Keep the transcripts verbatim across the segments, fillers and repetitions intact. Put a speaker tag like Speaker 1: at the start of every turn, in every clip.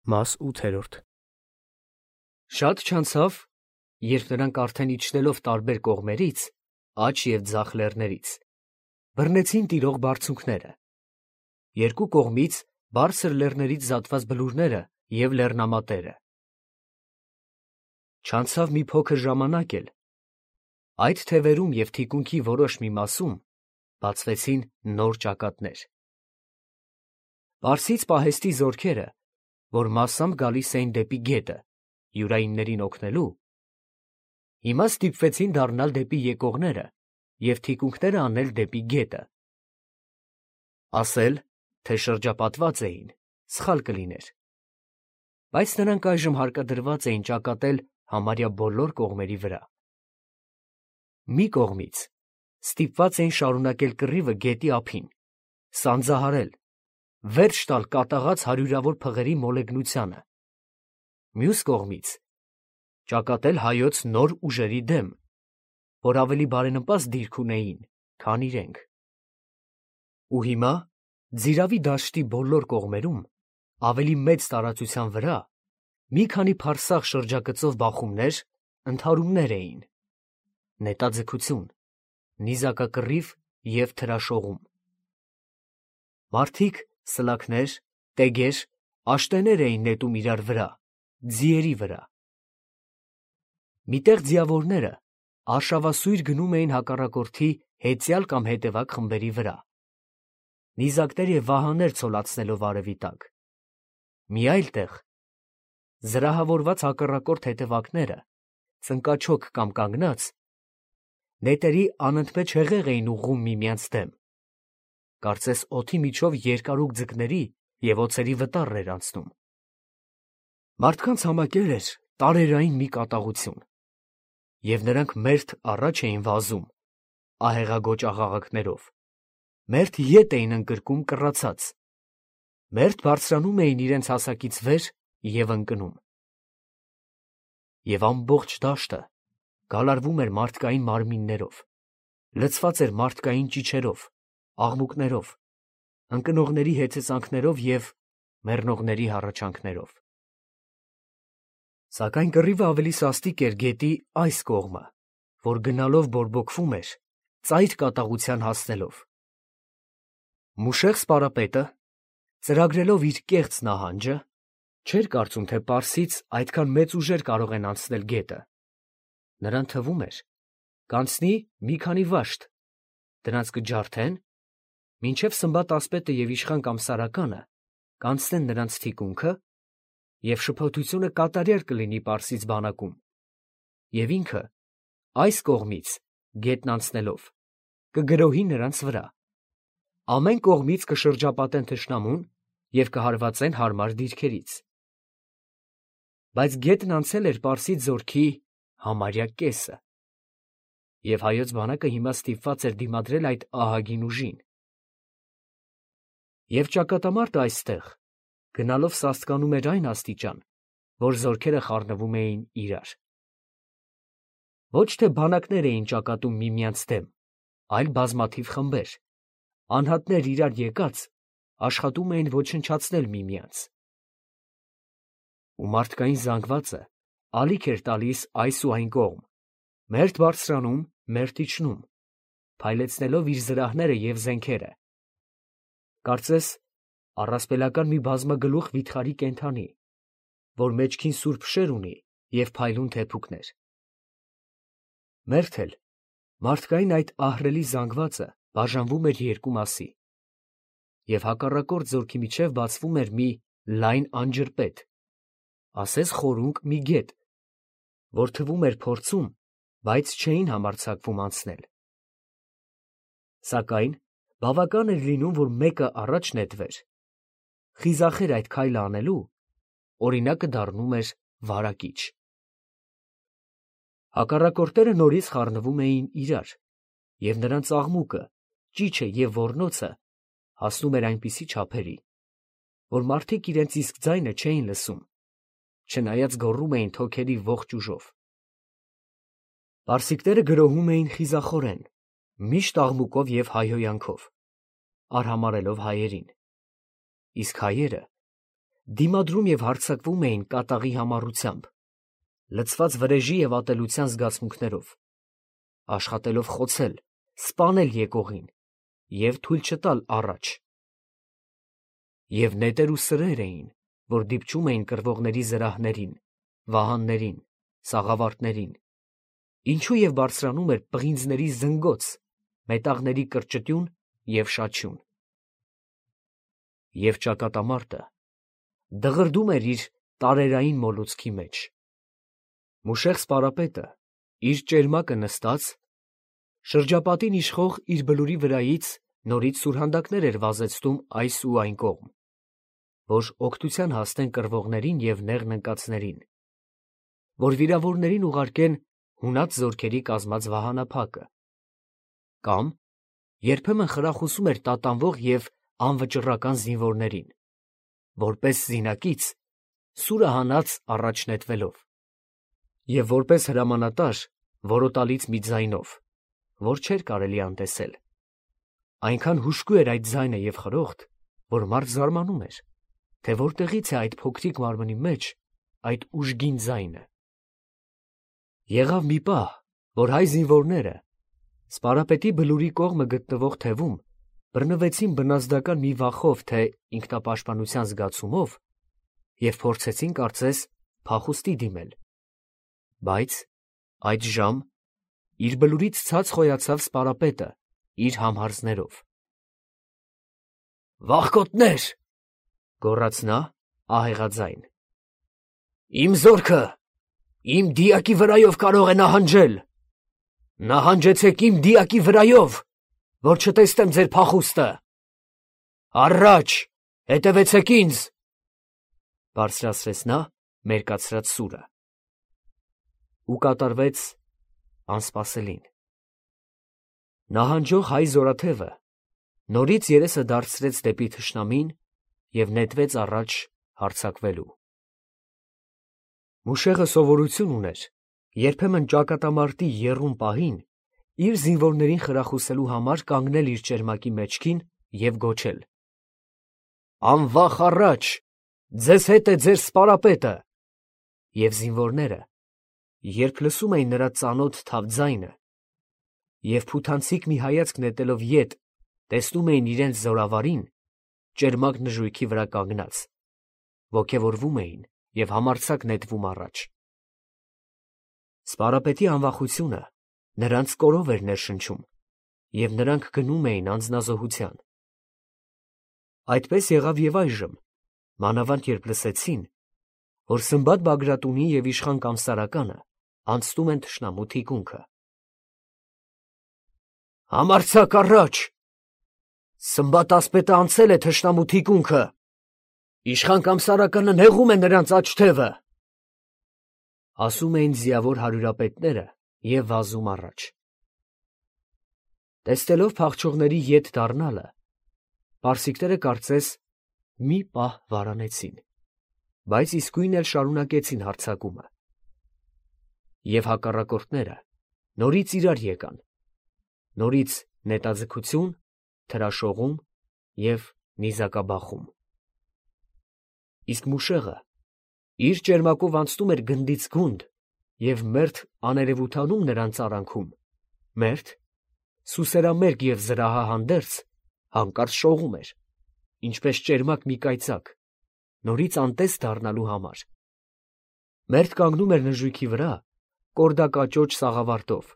Speaker 1: Մաս ութերորդ
Speaker 2: Շատ չանցավ, երբ նրանք արդեն իջնելով տարբեր կողմերից, աջ և ձախ լեռներից, բռնեցին տիրող բարձունքները, երկու կողմից բարձր լեռներից զատված բլուրները և լեռնամատերը։ Չանցավ մի փոքր ժամանակ էլ, այդ թևերում և թիկունքի որոշ մի մասում բացվեցին նոր ճակատներ։ Պարսից պահեստի զորքերը, որ մասամբ գալիս էին դեպի գետը, յուրայիններին օգնելու, հիմա ստիպվեցին դառնալ դեպի եկողները և թիկունքները անել դեպի գետը։ Ասել, թե շրջապատված էին, սխալ կլիներ, բայց նրանք այժմ հարկադրված էին ճակատել համարյա բոլոր կողմերի վրա։ Մի կողմից ստիպված էին շարունակել կռիվը գետի ափին, սանձահարել, վերջ տալ կատաղած հարյուրավոր փղերի մոլեգնությանը, մյուս կողմից ճակատել հայոց նոր ուժերի դեմ, որ ավելի բարենպաստ դիրք ունեին, քան իրենք։ Ու հիմա Ձիրավի դաշտի բոլոր կողմերում, ավելի մեծ տարածության վրա, մի քանի փարսաղ շրջագծով բախումներ, ընդհարումներ էին, նետաձգություն, նիզակակռիվ և թրաշողում։ Մարդիկ սլաքներ, տեգեր, աշտեներ էին նետում իրար վրա, ձիերի վրա։ Միտեղ ձիավորները արշավասույր գնում էին հակառակորդի հեծյալ կամ հետևակ խմբերի վրա, նիզակներ և վահաներ ցոլացնելով արևի տակ։ Մի այլ տեղ զրահավորված հակառակորդ հետևակները, ծնկաչոք կամ կանգնած, նետերի անընդմեջ հեղեղ էին ուղղում միմյանց դեմ, կարծես օդի միջով երկարուկ ձկների և օձերի վտառ էր անցնում։ Մարդկանց համակել էր տարերային մի կատաղություն, և նրանք մերթ առաջ էին վազում ահեղագոճ աղաղակներով, մերթ ետ էին ընկրկում կռացած, մերթ բարձրանում էին իրենց հասակից վեր և ընկնում։ Եվ ամբողջ դաշտը գալարվում էր մարդկային մարմիններով, լցված էր մարդկային ճիչերով, աղմուկներով, ընկնողների հեծեծանքներով և մեռնողների հառաչանքներով։ Սակայն կռիվը ավելի սաստիկ էր գետի այս կողմը, որ գնալով բորբոքվում էր, ծայր կատաղության հասնելով։ Մուշեղ սպարապետը, ծրագրելով իր կեղծ նահանջը, չէր կարծում, թե պարսից այդքան մեծ ուժեր կարող են անցնել գետը. նրան թվում էր, կանցնի մի քանի վաշտ, դրանց կջարդեն, մինչև Սմբատ ասպետը և իշխան կամ Սարականը կանցնեն նրանց թիկունքը, և շփոթությունը կատարյալ կլինի պարսից բանակում, և ինքը այս կողմից գետն անցնելով կգրոհի նրանց վրա, ամեն կողմից կշրջապատեն թշնամուն և կհարվածեն հարմար դիրքերից։ Բայց գետն անցել էր պարսից զորքի համարյա կեսը, և հայոց բանակը հիմա ստիպված էր դիմադրել այդ ահագին ուժին։ Եվ ճակատամարտը այստեղ գնալով սաստկանում էր այն աստիճան, որ զորքերը խառնվում էին իրար։ Ոչ թե բանակներ էին ճակատում միմյանց դեմ, այլ բազմաթիվ խմբեր, անհատներ իրար եկած, աշխատում էին ոչնչացնել միմյանց։ Ու մարդկային զանգվածը ալիք էր տալիս այս ու այն կողմ, մերթ բարձրանում, մերթ իջնում, փայլեցնելով իր զրահները և զենքերը, կարծես առասպելական մի բազմագլուխ վիթխարի կենդանի, որ մեջքին սուրբ շեր ունի և փայլուն թեփուկներ։ Մերթ էլ մարդկային այդ ահռելի զանգվածը բաժանվում էր երկու մասի, և հակառակորդ զորքի միջև բացվում էր մի լայն անջրպետ, ասես խորունկ մի գետ, որ թվում էր փորձում, բայց չէին համարձակվում անցնել։ Սակայն բավական էր լինում, որ մեկը առաջ նետվեր, խիզախեր այդ քայլը անելու, օրինակը դառնում էր վարակիչ։ Հակառակորդները նորից խառնվում էին իրար, և նրանց աղմուկը, ճիչը և ոռնոցը հասնում էր այնպիսի չափերի, որ մարդիկ իրենց իսկ ձայնը չէին լսում, չնայած գոռում էին թոքերի ողջ ուժով։ Պարսիկները գրոհում էին խիզախորեն, միշտ աղմուկով և հայհոյանքով, արհամարհելով հայերին, իսկ հայերը դիմադրում և հարձակվում էին կատաղի համառությամբ, լցված վրեժի և ատելության զգացմունքներով, աշխատելով խոցել, սպանել եկողին և թույլ չտալ առաջ. և նետեր ու սրեր էին, որ դիպչում էին կռվողների զրահներին, վահաններին, սաղավարտներին, ինչու և բարձրանում էր պղինձների զնգոց, մետաղների կրճտյուն և շաչյուն։ Եվ ճակատամարտը դղրդում էր իր տարերային մոլուցքի մեջ։ Մուշեղ սպարապետը, իր ճերմակը նստած, շրջապատին իշխող իր բլուրի վրայից նորից սուրհանդակներ էր վազեցնում այս ու այն կողմ, որ օգնության հասնեն կռվողներին և նեղն ընկածներին, որ վիրավորներին ուղարկեն հունած զորքերի կազմած վահանափակը, կամ երբեմն խրախուսում էր տատանվող և անվճռական զինվորներին, որպես զինակից սուրը հանած առաջ նետվելով, և որպես հրամանատար որոտալից մի ձայնով, որ չէր կարելի անտեսել. այնքան հուժկու էր այդ ձայնը և խրոխտ, որ մարդ զարմանում էր, թե որտեղից է այդ փոքրիկ մարմնի մեջ այդ ուժգին ձայնը։ Եղավ մի պահ, որ հայ զինվորները սպարապետի բլուրի կողմը գտնվող թևում բռնվեցին բնազդական մի վախով թե ինքնապաշտպանության զգացումով և փորձեցին կարծես փախուստի դիմել, բայց այդ ժամ իր բլուրից ցած խոյացավ սպարապետը իր համհարձներով։ «Վախկոտնե՛ր», գոռաց նա ահեղաձայն, «իմ զորքը իմ դիակի վրայով կարող է նահանջել. նահանջեցեք իմ դիակի վրայով, որ չտեսնեմ ձեր փախուստը. առաջ, հետևեցեք ինձ», բարձրացրեց նա մերկացրած սուրը։ Ու կատարվեց անսպասելին։ Նահանջող հայ զորաթևը նորից երեսը դարձրեց դեպի թշնամին և նետվեց առաջ հարձակվելու։ Մուշեղը սովորություն ուներ երբեմն ճակատամարտի եռում պահին իր զինվորներին խրախուսելու համար կանգնել իր ճերմակի մեջքին և գոչել. «Անվախ առաջ, ձեզ հետ է ձեր սպարապետը», և զինվորները, երբ լսում էին նրա ծանոթ թավ ձայնը և փութանցիկ մի հայացք նետելով ետ, տեսնում էին իրենց զորավարին ճերմակ նժույգի վրա կանգնած, ոգևորվում էին և համարձակ նետվում առաջ։ Սպարապետի անվախությունը նրանց կորով էր ներշնչում, և նրանք գնում էին անձնազոհության։ Այդպես եղավ և այժմ, մանավանդ երբ լսեցին, որ Սմբատ Բագրատունի և իշխան Կամսարականը անցնում են թշնամու թիկունքը։ «Համարձակ առաջ, Սմբատ ասպետը անցել է թշնամու թիկունքը, իշխան Կամսարականը նեղում է նրանց աջ թևը», ասում էին ձիավոր հարյուրապետները և վազում առաջ։ Տեսնելով փախչողների ետ դառնալը, պարսիկները կարծես մի պահ վարանեցին, բայց իսկույն էլ շարունակեցին հարձակումը։ Եվ հակառակորդները նորից իրար եկան, նորից նետաձգություն, թրաշողում և նիզակաբախում։ Իսկ մուշեղը իր ճերմակով անցնում էր գնդից գունդ և մերթ աներևութանում նրանց արանքում, մերթ, սուսերամերկ և զրահահանդերձ, հանկարծ շողում էր, ինչպես ճերմակ մի կայծակ, նորից անտես դառնալու համար, մերթ կանգնում էր նժույգի վրա կորդակաճոճ սաղավարտով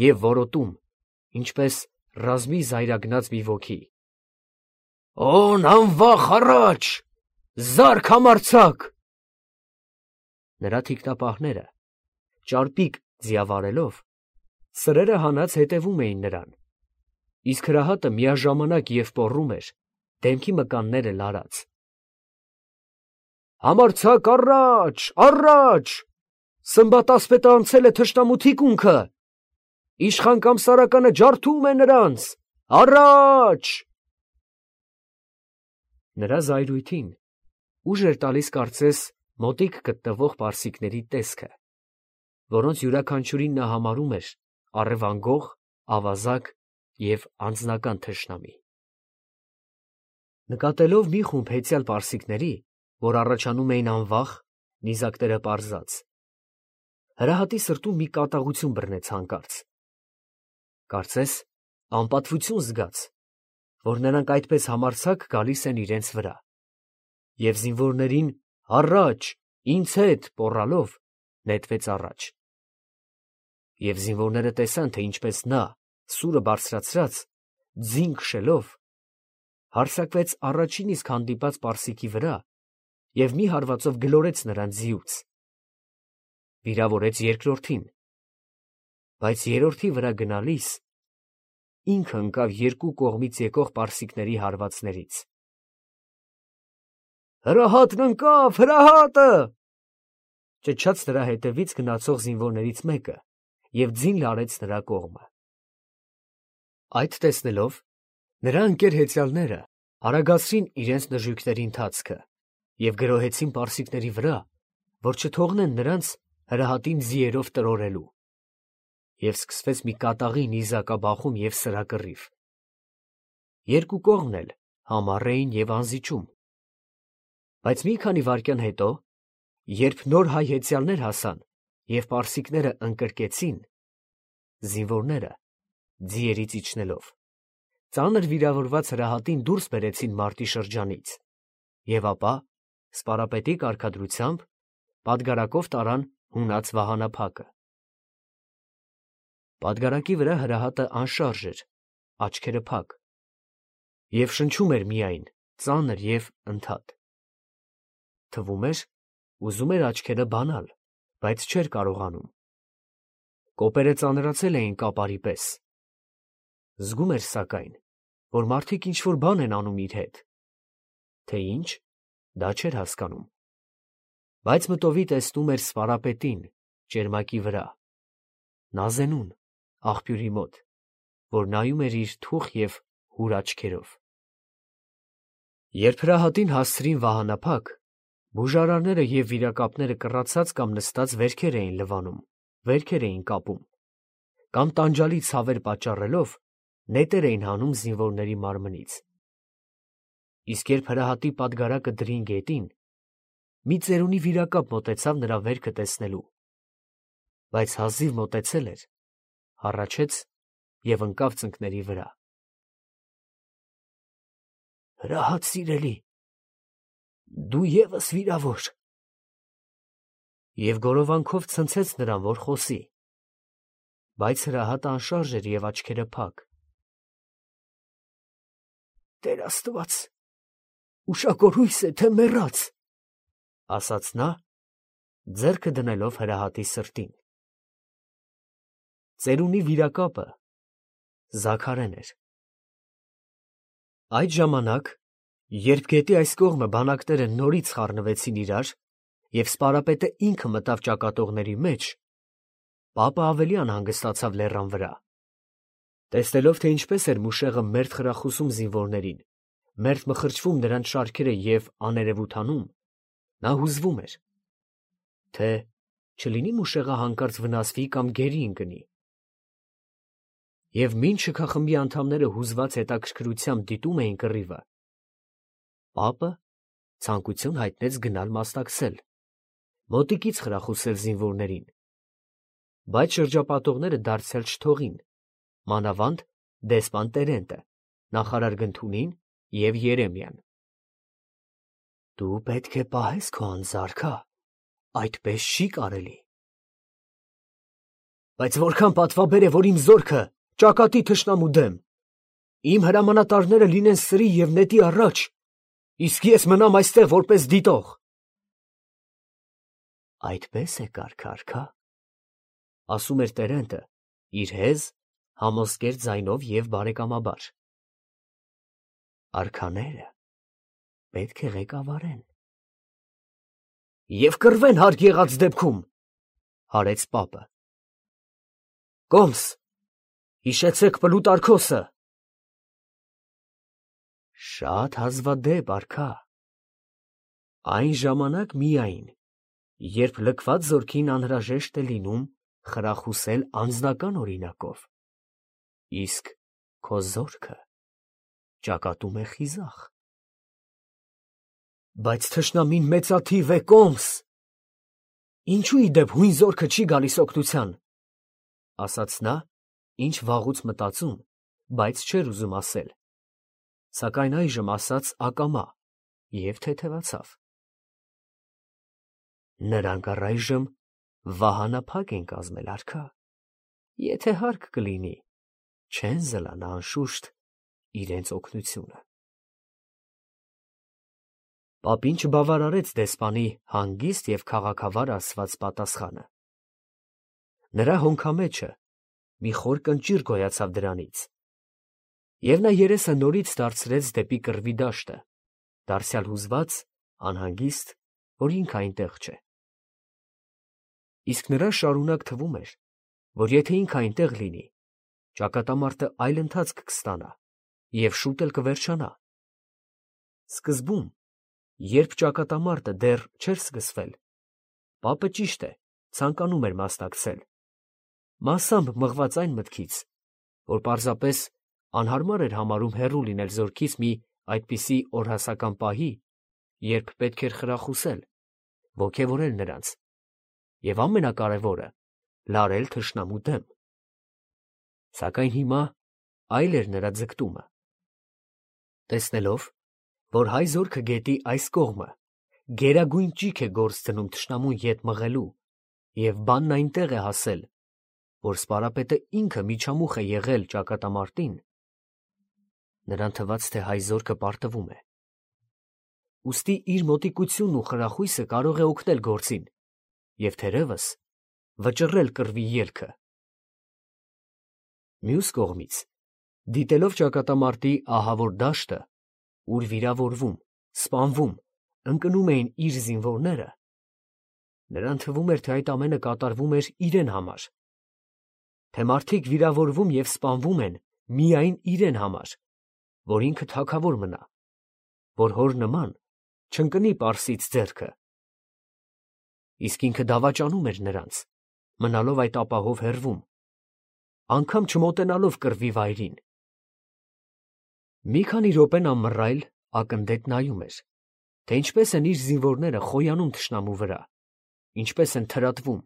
Speaker 2: և որոտում, ինչպես ռազմի զայրագնաց մի ոգի. «Օն անվախ առաջ, զա՛րք համարձակ»։ Նրա թիկնապահները, ճարպիկ ձիավարելով, սրերը հանած հետևում էին նրան, իսկ հրահատը միաժամանակ և պոռում էր, դեմքի մկանները լարած. «Համարձակ առաջ, առաջ, Սմբատ ասպետը անցել է թշնամու թիկունքը, իշխան Կամսարականը ջարդում է նրանց, առաջ»։ Նրա զայրույթին ուժ էր տալիս կարծես մոտիկ գտնվող պարսիկների տեսքը, որոնց յուրաքանչյուրին նա համարում էր առևանգող, ավազակ և անձնական թշնամի։ Նկատելով մի խումբ հեծյալ պարսիկների, որ առաջանում էին անվախ, նիզակները պարզած։ Հրահատի սրտում մի կատաղություն բռնեց հանկարծ. կարծես անպատվություն զգաց, որ նրանք այդպես համարձակ գալիս են իրենց վրա, և զինվորներին «Առաջ, ինձ հետ» պոռալով նետվեց առաջ։ Եվ զինվորները տեսան, թե ինչպես նա, սուրը բարձրացրած, ձին քշելով, հարձակվեց առաջին իսկ հանդիպած պարսիկի վրա և մի հարվածով գլորեց նրան ձիուց, վիրավորեց երկրորդին, բայց երրորդի վրա գնալիս ինքը ընկավ երկու կողմից եկող պարսիկների հարվածներից։ «Հրահատն ընկավ, հրահատը» ճչաց նրա հետևից գնացող զինվորներից մեկը և ձին լարեց նրա կողմը։ Այդ տեսնելով, նրա ընկեր հեծյալները արագացրին իրենց նժույգների ընթացքը և գրոհեցին պարսիկների վրա, որ չթողնեն նրանց հրահատին ձիերով տրորելու, և սկսվեց մի կատաղի նիզակաբախում և սրակռիվ։ Երկու կողմն էլ համառ էին և անզիջում, բայց մի քանի վայրկյան հետո, երբ նոր հայ հեծյալներ հասան և պարսիկները ընկրկեցին, զինվորները, ձիերից իջնելով, ծանր վիրավորված հրահատին դուրս բերեցին մարտի շրջանից և ապա սպարապետի կարգադրությամբ պատգարակով տարան հունած վահանափակը։ Պատգարակի վրա հրահատը անշարժ էր, աչքերը փակ, և շնչում էր միայն ծանր և ընդհատ։ Թվում էր, ուզում էր աչքերը բանալ, բայց չէր կարողանում։ Կոպերը ծանրացել էին կապարի պես։ Զգում էր սակայն, որ մարդիկ ինչ֊որ բան են անում իր հետ, թե ինչ, դա չէր հասկանում, բայց մտովի տեսնում էր սպարապետին ճերմակի վրա, Նազենուն, աղբյուրի մոտ, որ նայում էր իր թուխ և հուր աչքերով։ Երբ հրահատին հասցրին վահանափակ, բուժարարները և վիրակապները կռացած կամ նստած վերքեր էին լվանում, վերքեր էին կապում, կամ տանջալի ցավեր պատճառելով նետեր էին հանում զինվորների մարմնից։ Իսկ երբ հրահատի պատգարակը դրին գետին, մի ծերունի վիրակապ մոտեցավ նրա վերքը տեսնելու, բայց հազիվ մոտեցել էր, հառաչեց և ընկավ ծնկների վրա։ «Հրահատ սիրելի, դու ևս վիրավոր» և գորովանքով ցնցեց նրան, որ խոսի, բայց հրահատը անշարժ էր և աչքերը փակ։ «Տեր Աստված, ուշագոր հույս է, թե մեռած», ֊ ասաց նա, ձեռքը դնելով հրահատի սրտին։ Ծերունի վիրակապը զաքարեն էր։ Այդ ժամանակ, երբ գետի այս կողմը բանակները նորից խառնվեցին իրար, և սպարապետը ինքը մտավ ճակատողների մեջ, պապը ավելի անհանգստացավ լեռան վրա։ Տեսնելով, թե ինչպես էր մուշեղը մերթ խրախուսում զինվորներին, մերթ մխրճվում նրանց շարքերը և աներևույթ անում, նա հուզվում էր, թե չլինի մուշեղը հանկարծ վնասվի կամ գերի ընկնի։ Եվ մինչ շքախմբի անդամները հուզված հետաքրքրությամբ դիտում էին կռիվը, պապը ցանկություն հայտնեց գնալ մասնակցել, մոտիկից խրախուսել զինվորներին, բայց շրջապատողները դարձյալ չթողին, մանավանդ դեսպան Տերենտը, նախարար Գնթունին և Երեմիան։ «Դու պետք է պահես քո անձարկա, այդպես չի կարելի»։ «Բայց որքան պատվաբեր է, որ իմ զորքը ճակատի թշնամու դեմ, իմ հրամանատարները լինեն սրի և նետի առաջ, իսկ ես մնամ այստեղ որպես դիտող»։ «Այդպես է կարգ, արքա», ֊ ասում էր Տերենտը իր հեզ, համոզկեր ձայնով և բարեկամաբար։ «Արքաները պետք է ղեկավարեն»։ «Եվ կռվեն հարկ եղած դեպքում», ֊ հարեց պապը։ «Կոմս, հիշեցեք Պլուտարքոսը»։ «Շատ հազվադեպ, արքա, այն ժամանակ միայն, երբ լքված զորքին անհրաժեշտ է լինում խրախուսել անձնական օրինակով, իսկ քո զորքը ճակատում է խիզախ»։ Բայց թշնամին մեծաթիվ է կոմս։ Ինչու իդեպ հույն զորքը չի գալիս օգնության, ասաց նա, ինչ վաղուց մտածում, բայց չէր ուզում ասել, սակայն այժմ ասաց ակամա և թեթևացավ. նրանք առայժմ վահանափակ են կազմել, արքա, եթե հարկ կլինի, չեն զլանա անշուշտ իրենց օգնությունը։ Պապին չբավարարեց դեսպանի հանգիստ և քաղաքավար ասված պատասխանը։ Նրա հոնքամեջը մի խոր կնճիռ գոյացավ դրանից, և նա երեսը նորից դարձրեց դեպի կռվի դաշտը, դարձյալ հուզված, անհանգիստ, որ ինքը այնտեղ չէ։ Իսկ նրան շարունակ թվում էր, որ եթե ինքը այնտեղ լինի, ճակատամարտը այլ ընթացք կստանա և շուտ էլ կվերջանա։ Սկզբում, երբ ճակատամարտը դեռ չէր սկսվել, պապը, ճիշտ է, ցանկանում էր մասնակցել, մասամբ մղված այն մտքից, որ պարզապես անհարմար էր համարում հեռու լինել զորքից մի այդպիսի օրհասական պահի, երբ պետք էր խրախուսել, ոգևորել նրանց և ամենակարևորը՝ լարել թշնամու դեմ։ Սակայն հիմա այլ էր նրա ձգտումը։ Տեսնելով, որ հայ զորքը գետի այս կողմը գերագույն ճիգ է գործ դնում թշնամուն ետ մղելու և բանն այնտեղ է հասել, որ սպարապետը ինքը միջամուխ է եղել ճակատամարտին, նրան թվաց, թե հայ զորքը պարտվում է։ Ուստի իր մոտիկությունն ու խրախույսը կարող է օգնել գործին և թերևս վճռել կռվի ելքը։ Մյուս կողմից, դիտելով ճակատամարտի ահավոր դաշտը, ուր վիրավորվում, սպանվում, ընկնում էին իր զինվորները, նրան թվում էր, թե այդ ամենը կատարվում էր իրեն համար, թե մարդիկ վիրավորվում և սպանվում են միայն իրեն համար, որ ինքը թագավոր մնա, որ հոր նման չընկնի Պարսից ձեռքը։ Իսկ ինքը դավաճանում էր նրանց, մնալով այդ ապահով հեռվում, անգամ չմոտենալով կռվի վայրին։ Մի քանի րոպե նա մռայլ, ակնդետ նայում էր, թե ինչպես են իր զինվորները խոյանում թշնամու վրա, ինչպես են թրատվում,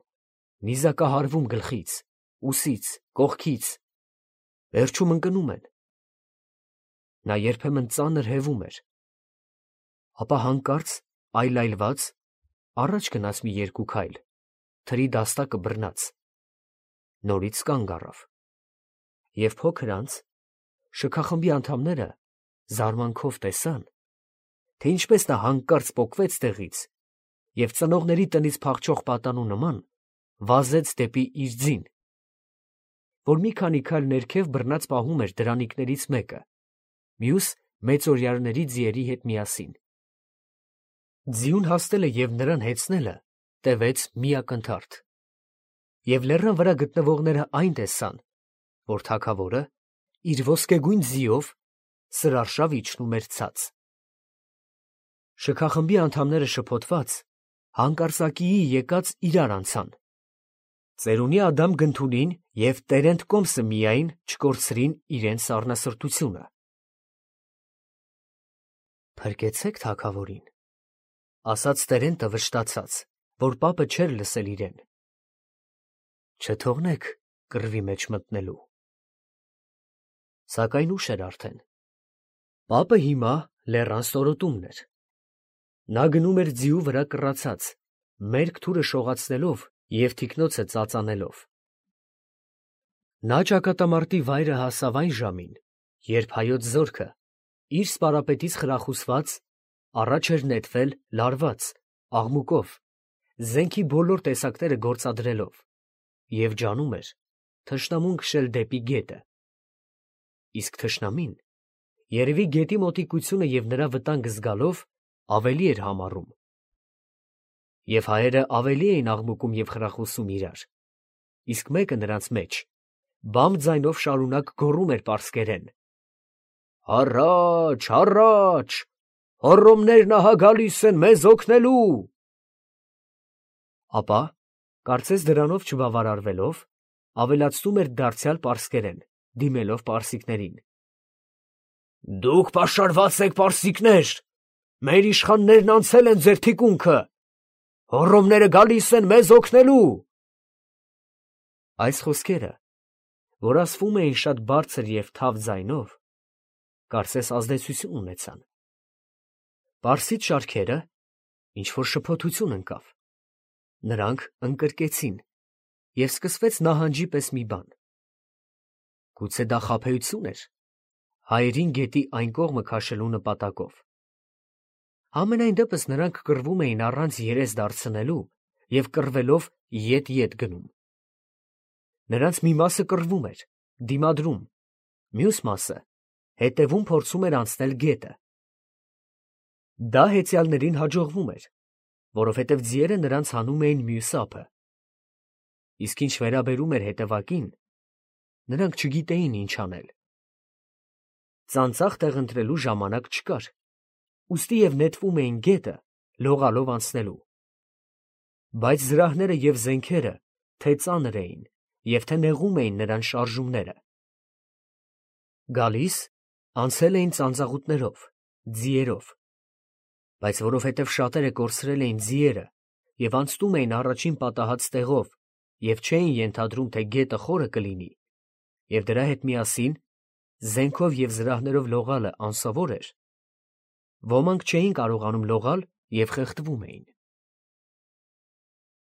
Speaker 2: նիզակահարվում գլխից, ուսից, կողքից, վերջում ընկնում են։ Նա երբեմն ծանր հևում էր, ապա հանկարծ այլայլված առաջ գնաց մի երկու քայլ, թրի դաստակը բռնած, նորից կանգ առավ, և փոքր անց շքախմբի անդամները զարմանքով տեսան, թե ինչպես նա հանկարծ պոկվեց տեղից և ծնողների տնից փախչող պատանու նման վազեց դեպի իր ձին, որ մի քանի քայլ ներքև բռնած պահում էր դրանիկներից մեկը, մյուս մեծօրյաների ձիերի հետ միասին։ Ձիուն հասնելը և նրան հեծնելը տևեց մի ակնթարթ, և լեռան վրա գտնվողները այն տեսան, որ թագավորը իր ոսկեգույն ձիով սրարշավ իջնում էր ցած։ Շքախմբի անդամները շփոթված, հանկարծակիի եկած իրար անցան։ Ծերունի Ադամ Գնթունին և Տերենդ Կոմսը միայն չկորցրին իրենց սառնասրտությունը։ Փրկեցեք թագավորին, ասաց Տերենտը վշտացած, որ պապը չէր լսել իրեն։ Չթողնեք կռվի մեջ մտնելու։ Սակայն ուշ էր արդեն։ Պապը հիմա լեռան ստորոտումն էր։ Նա գնում էր ձիու վրա կռացած, մերկ թուրը շողացնելով և թիկնոցը ծածանելով։ Նա ճակատամարտի վայրը հասավ այն ժամին, երբ հայոց զորքը, իր սպարապետից խրախուսված, առաջ էր նետվել լարված, աղմուկով, զենքի բոլոր տեսակները գործադրելով, և ջանում էր թշնամուն քշել դեպի գետը։ Իսկ թշնամին, երևի գետի մոտիկությունը և նրա վտանգը զգալով, ավելի էր համառում։ Եվ հայերը ավելի էին աղմուկում և խրախուսում իրար, իսկ մեկը նրանց մեջ բամ ձայնով շարունակ գոռում էր պարսկերեն. «Առաջ, առաջ, հոռոմներն ահա գալիս են մեզ օգնելու»։ Ապա, կարծես դրանով չբավարարվելով, ավելացնում էր դարձյալ պարսկերեն, դիմելով պարսիկներին. «Դուք պաշարված եք, պարսիկներ, Մեր իշխաններն անցել են ձեր թիկունքը, հոռոմները գալիս են մեզ օգնելու։ Այս խոսքերը, որ ասվում էին շատ բարձր և թավ ձայնով, կարծես ազդեցություն ունեցան։ Պարսից շարքերը ինչ-որ շփոթություն ընկավ, նրանք ընկրկեցին, և սկսվեց նահանջի պես մի բան։ Գուցե դա խաբեություն էր հայերին գետի այն կողմը քաշելու նպատակով։ Համենայն դեպս նրանք կռվում էին առանց երես դարձնելու և կռվելով ետ-ետ գնում։ Նրանց մի մասը կռվում էր, դիմադրում, մյուս մասը հետևում փորձում էր անցնել գետը։ Դա հեծյալներին հաջողվում էր, որովհետև ձիերը նրանց հանում էին մյուս ափը։ Իսկ ինչ վերաբերում էր հետևակին, նրանք չգիտեին ինչ անել։ Ծանծաղ տեղ ընտրելու ժամանակ չկար, ուստի և նետվում էին գետը լողալով անցնելու։ Բայց զրահները և զենքերը թե ծանր էին և թե նեղում էին նրանց շարժումները։ Գալիս, անցել էին ծանծաղուտներով, ձիերով, բայց որովհետև շատերը կորցրել էին ձիերը և անցնում էին առաջին պատահած տեղով և չէին ենթադրում, թե գետը խորը կլինի, և դրա հետ միասին զենքով և զրահներով լողալը անսովոր էր, ոմանք չէին կարողանում լողալ և խեղդվում էին։